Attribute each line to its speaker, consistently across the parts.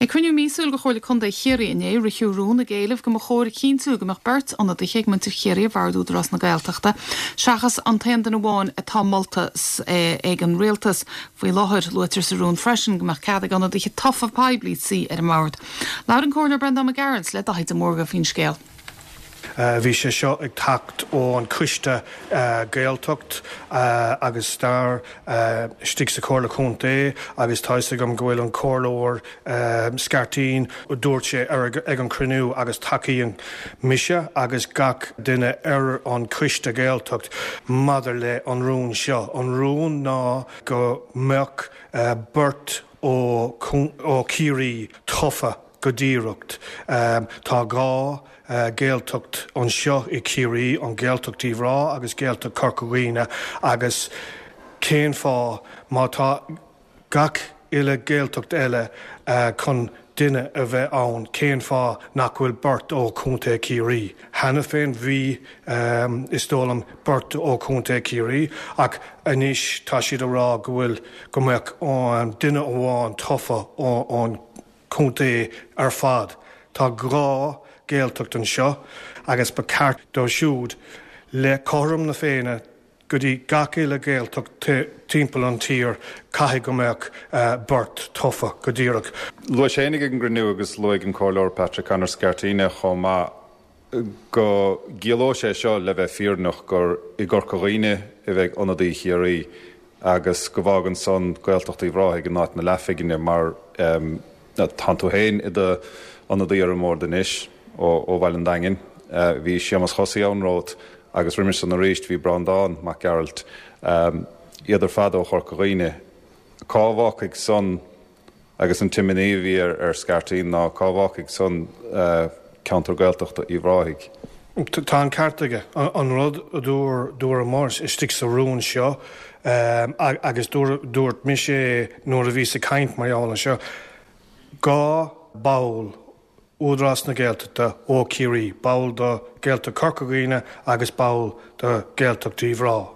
Speaker 1: Ag cruinniú míosúil de Chomhairle Contae Chiarraí inné, ritheadh rún ag éileamh go mba chóir a chinntiú go mbeadh beirt ionadaithe ag muintir Chiarraí ar Bhord Údarás na Gaeltachta, seachas an t-aon duine amháin atá molta ag an Rialtas faoi láthair. Luaitear sa rún freisin go mbeadh cead ag ionadaithe tofa poiblí suí ar an mbord. Labhair an Comhairleoir Breandán Mac Gearailt le Daithí de Mórdha faoin scéal.
Speaker 2: Bhí sé seo ag teacht ón Coiste Gaeltacht agus Stair istigh sa Chomhairle Chontae agus tá fhios agam go bhfuil an Comhairleoir Scarteen, dúirt sé ag an chruinniú agus tacaíonn mise agus gach duine ar an Choiste Gaeltacht maidir le an rún seo. An rún ná go mbeadh beirt ó Chiarraí tofa go díreach. Tá 2 Ghaeltacht anseo i Ciarraí, an Ghaeltacht Uíbh Ráthaigh agus Gaeltacht Chorca Dhuibhne agus cén fáth má tá gach uile Ghaeltacht eile chun duine a bheith ann, cén fáth nach bhfuil beirt ó Chontae Chiarraí? Cheana féin bhí, is dóigh liom, beirt ó Chontae Chiarraí ach anois tá siad a rá go bhfuil, go mbeadh duine amháin tofa ón contae ar fad. Tá 2 Gaeltacht anseo agus ba ceart dóibh siúd le cothrom na Féinne go dtí gach uile Ghaeltacht timpeall an tír caithfidh go mbeadh beirt tofa go díreach.
Speaker 3: Luaigh sé ag an gcruinniú agus luaigh an Comhairleoir Patrick Connor Scarteen chomh maith go gciallódh sé seo le bheith fírinneach gur i gCorca Dhuibhne a bheidh ionadaí Chiarraí agus go bhfágann san Gaeltacht Uíbh Ráthaigh in áit na leathphinginne mar tánn tú féin i do ionadaí ar an mbord anois ó Bhaile an Daingin. Bhí Séamus Chosaí ann romhat agus roimis san arís bhí Breandán Mac Gearailt, iad ar fad ó Chorca Dhuibhne. Cá bhfágfaidh san Agus an t-imní a bhí ar Scarteen ná cá bhfágfaidh san ceantar Gaeltachta Uíbh Ráthaigh.
Speaker 2: Tá an ceart aige. An rud a dúramar istigh sa rún seo, agus dúirt mise é nuair a bhíos ag caint mar gheall air seo, 2 ball Údarás na Gaeltachta ó Chiarraí, ball do Ghaeltacht Chorca Dhuibhne agus ball do Ghaeltacht Uíbh Ráthaigh.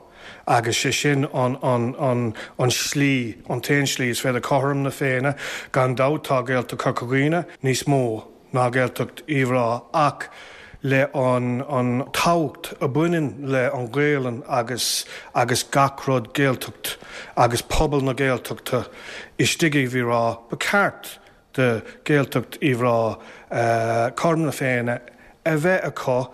Speaker 2: Agus sé sin an an an slí, an t-aon slí is féidir cothrom na Féinne. Gan dabht tá Gaeltacht Chorca Dhuibhne níos mó ná Gaeltacht Uíbh Ráthaigh ach le an an tábhacht a bhaineann le an Ghaelainn agus agus gach rud Gaeltacht agus pobal na Gaeltachta istigh i Uíbh Ráthaigh, ba ceart do Ghaeltacht Uíbh Ráthaigh cothrom na Féinne a bheith acu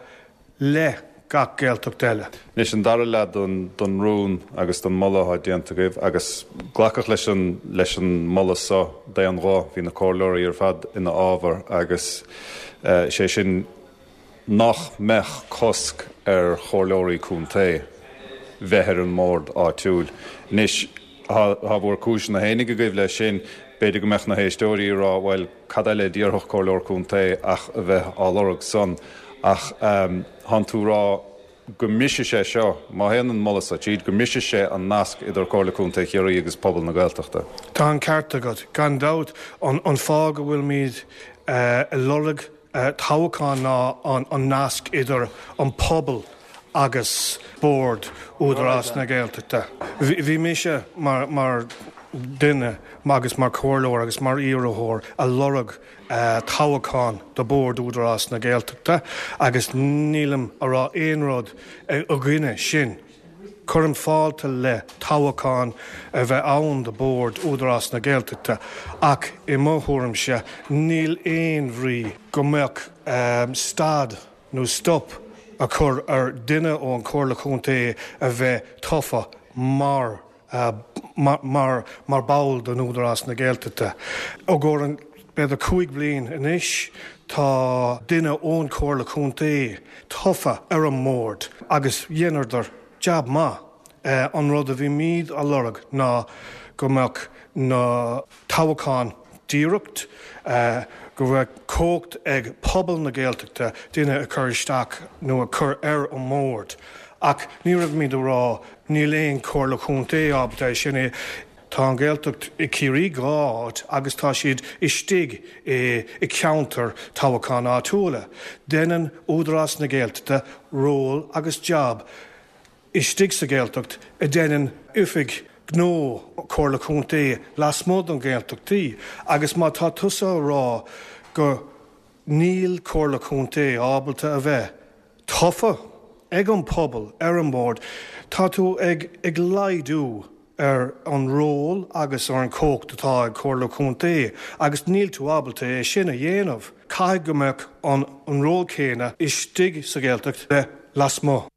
Speaker 2: le gach Gaeltacht eile.
Speaker 3: Anois an dara leath den rún agus den moladh atá déanta agaibh, agus glacadh leis an leis an moladh so d'aon ghuth, bhí na comhairleoirí ar fad ina fhábhar agus sé sin nach mbeadh cosc ar chomhairleoirí contae bheith ar an mbord áitiúil. Anois, tá bhur cúiseanna fhéinig agaibh leis sin, b'fhéidir go mbeadh na héisteoirí ag rá, bhuel, cad eile a d'iarrfadh comhairleoir contae ach a bheith á lorg san? Ach tánn tú ag rá go mbrisfidh sé seo, má théann an moladh so tríd, go mbrisfidh sé an nasc idir Comhairle Contae Chiarraí agus pobal na Gaeltachta.
Speaker 2: Tá an ceart agat. Gan dabht, an fáth go bhfuilimid ag lorg toghchán ná an nasc idir an pobal agus Bord Údarás na Gaeltachta. Bhí mise mar dhuine agus mar chomhairleoir agus mar iarrthóir a lorg toghchán do Bord Údarás na Gaeltachta agus nílim a rá aon rud i gcoinne sin. Cuirim fáilte le toghchán a bheith ann do Bhord Údarás na Gaeltachta ach i mo thuairimse níl aon bhrí go mbeadh stad nó stop a chur ar duine ón Chomhairle Chontae a bheith tofa mar mar mar ball den Údarás na Gaeltachta. I gcomhair an b'fhéidir 5 bliain anois tá duine ón Chomhairle Chontae tofa ar an mbord agus dheineadar jab maith. An rud a bhímid a lorg ná go mbeadh na toghcháin díreach, go mbeadh cumhacht ag pobal na Gaeltachta duine a chur isteach nó a chur ar an mbord. Ach ní raibhimid a rá níl aon Chomhairle Chontae ábalta é sin a. Tá an Ghaeltacht i Ciarraí 2 áit agus tá siad istigh i ceantar toghcháin áitiúla. Deineann Údarás na Gaeltachta ról agus jab istigh sa Ghaeltacht a deineann oifig. gnó Comhairle Contae lasmuigh den Ghaeltachtaí agus má tá tusa a rá go níl Comhairle Contae ábalta a bheith tofa ag an pobal ar an mbord, tá tú ag ag laghdú ar an ról agus ar an chumhacht atá ag Comhairle Contae agus níl tú ábalta é sin a dhéanamh. Caithfidh go mbeadh an ról céanna istigh sa Ghaeltacht le lasmuigh.